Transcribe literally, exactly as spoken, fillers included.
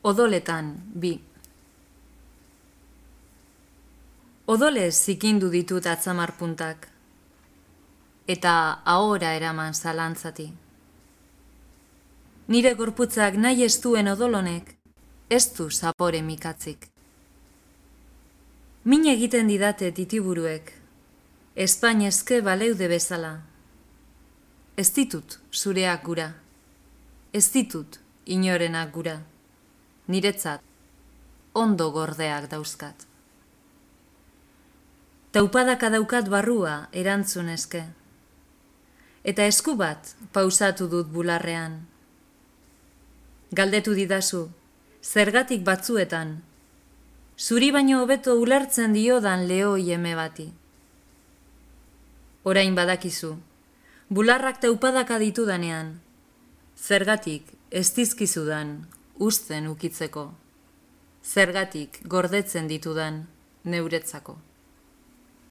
Odoletan, bi. Odolez zikindu ditut atzamar puntak, eta ahora eraman zalantzati. Nire gorputzak nahi ez duen odolonek, ez du zapore mikatzik. Min egiten didate titiburuek, espainezke baleude bezala. Ez ditut zureak gura, ez ditut inorenak gura, niretzat ondo gordeak dauzkat. Taupadaka daukat barrua erantzun eske, eta esku bat pausatu dut bularrean. Galdetu didazu, zergatik batzuetan, zuri baino hobeto ulertzen diodan lehoi eme bati. Orain badakizu, bularrak taupadaka ditudanean, zergatik ez dizkizudan uzten ukitzeko, zergatik gordetzen ditudan neuretzako.